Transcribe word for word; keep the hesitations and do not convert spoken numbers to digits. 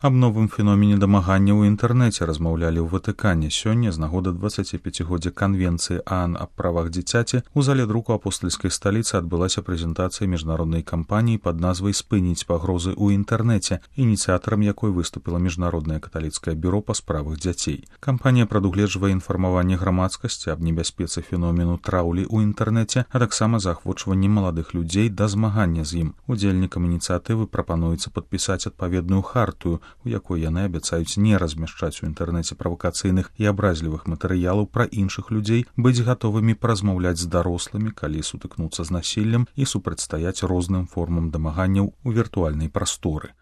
Аб новым феномене дамагання ў інтэрнэце размаўлялі ў Ватыкане сёння з нагоды дваццаціпяцігоддзя канвенцыі ААН аб правах дзіцяці. У зале друку апостальскай сталіцы адбылася прэзентацыя міжнароднай кампаніі пад назвай «Спыніць пагрозы ў інтэрнэце», ініцыятарам якой выступіла Міжнароднае каталіцкае бюро па справах дзяцей. Кампанія прадугледжвае інфармаванне грамадскасці аб небяспецы феномену траўлі ў інтэрнэце, а таксама заахвочванне маладых людзей да змагання з ім. Удзельнікам ініцыятывы прапануецца падпісаць адпаведную хартую, у якой яны абяцаюць не размяшчаць у інтэрнэце правакацыйных і абразлівых матэрыялаў пра іншых людзей, быць гатовымі паразмаўляць з дарослымі, калі сутыкнуцца з насіллем, і супрацьстаяць розным формам дамаганняў у віртуальнай прасторы.